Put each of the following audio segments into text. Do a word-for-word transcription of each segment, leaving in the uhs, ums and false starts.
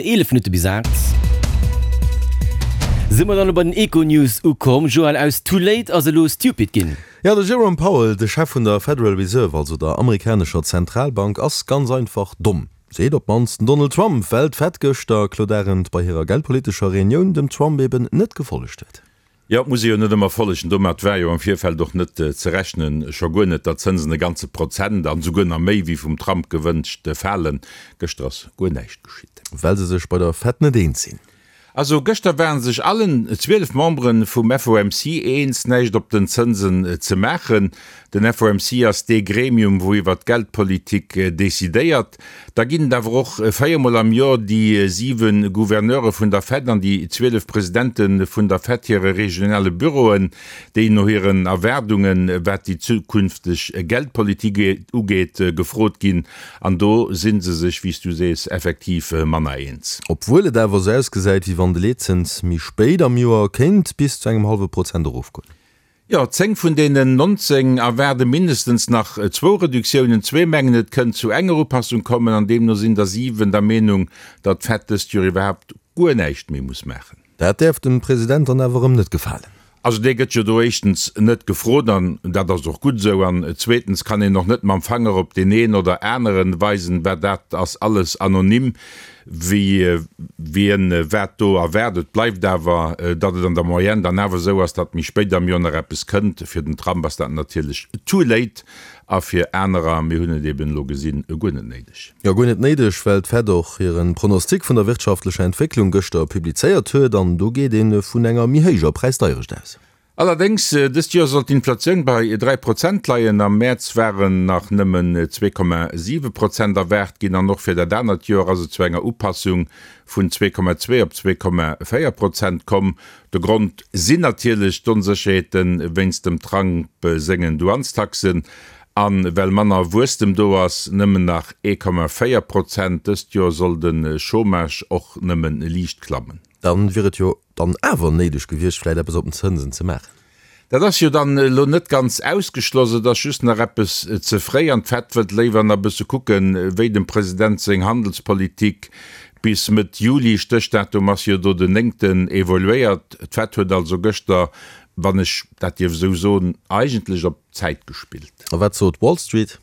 Eelef Minutte bis aacht. Si mer dann elo bei den Econews ukomm. Joël, aus too late ass elo stupid ginn. Jo, de Jerome Powell, de Chef vun der Federal Reserve, also der amerikanescher Zentralbank, ass ganz einfach domm. Seet op d'mannst den Donald Trump, well d'Fed gëschter, Claude Arend, bei hirer geldpolitescher Reunioun dem Trump eben net gefollegt huet. Jo, et muss ee jo net ëmmer follegen. Domat war jo am Virfeld och net ze rechnen, scho guer net, datt d'Zënsen e ganze Prozent an esouguer nach méi wéi vum Trump gewënscht falen. Gëschter ass guer näischt geschitt. Well se sech bei der Fed net eens sinn. Also gëschter ware sech allen zwielef Membere vum F O M C eens, näischt op den Zënsen ze maachen. Den F O M C ass dee Gremium, wou iwwer d'Geldpolitik decidéiert. Da ginn et awer och véier Mol am Joer déi siwe Gouverneure vun der Fed an déi zwielef Presidente vun der Fed hire regionale Büroen, déi no hiren Erwaardungen, wat déi zukünfteg Geldpolitik ugeet, gefrot ginn. An do si se sech, wéi s du sees, effektiv manner eens. Obwuel et awer esou ausgesäit, wéi wann de Leetzëns méi spéit am Joer kéint bis zu engem hallwe Prozent erofgoen. Jo, zéng vun deenen nonzéng erwaarde mindestens nach zwou Reduktiounen. Zwee mengen, et kënnt zu enger Upassung kommen an deemno sinn der siwen der Meenung, datt d'Fed dëst Joer iwwerhaapt guer näischt méi muss maachen. Dat däerf dem President dann awer erëm net gefalen. Also dee gëtt jo do éischtens net gefrot, an dat ass och gutt esou, an zweetens kann een och net mam Fanger op deen een oder aneren weisen, well dat ass alles anonym, wéi wien wat do erwaart. Et bleift awer, datt et an der Moyenne dann awer esou ass, datt méi spéit am Joer nach eppes kënnt. Fir den Trump ass dat natierlech too late a fir anerer, mir hunn et eben elo gesinn, guer net néideg. Jo, guer net néideg, well d'Fed och hire Pronostic vun der wirtschaftlecher Entwécklung gëschter publizéiert huet an do geet ee vun enger méi héijer Präisdeierecht aus. Allerdéngs, dëst Joer soll d'Inflatioun bei dräi Prozent leien. Am Mäerz waren nach nëmmen zwee Komma siwe Prozent erwaart ginn an och fir dat anert Joer ass et zu enger Upassung vun zwee Komma zwee op zwee Komma véier Prozent komm. De Grond sinn natierlech d'Onsécherheete wéinst dem Trump sengen Douanestaxen an well manner Wuesstem do ass, nëmmen nach ee Komma véier Prozent. Dëst Joer soll de Chômage och nëmme liicht klammen. Dann wier et jo dann awer néideg gewiescht, vläicht eppes op den Zënsen ze maachen. Dat ass jo dann elo net ganz ausgeschloss, et ass just nach eppes ze fréi an d'Fed wëllt léiwer nach e bësse kucken, wéi dem President seng Handelspolitik bis Mëtt Juli, Stéchdatum ass jo do den néngten, evoluéiert. D'Fed huet also gëschter, wann ech dat dierf esou soen, eigentlech op Zäit gespillt. A wat sot Wall Street?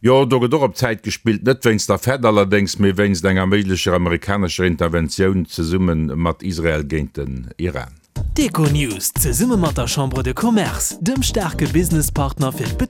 Jo, do gëtt och op Zäit gespillt, net wéinst der Fed allerdéngs, mee wéinst enger méiglecher amerikanescher Interventioun zesumme mat Israel géint den Iran. D'Econews zesumme mat der Chambre de Commerce, dem staarke Businesspartner fir d'Betriber.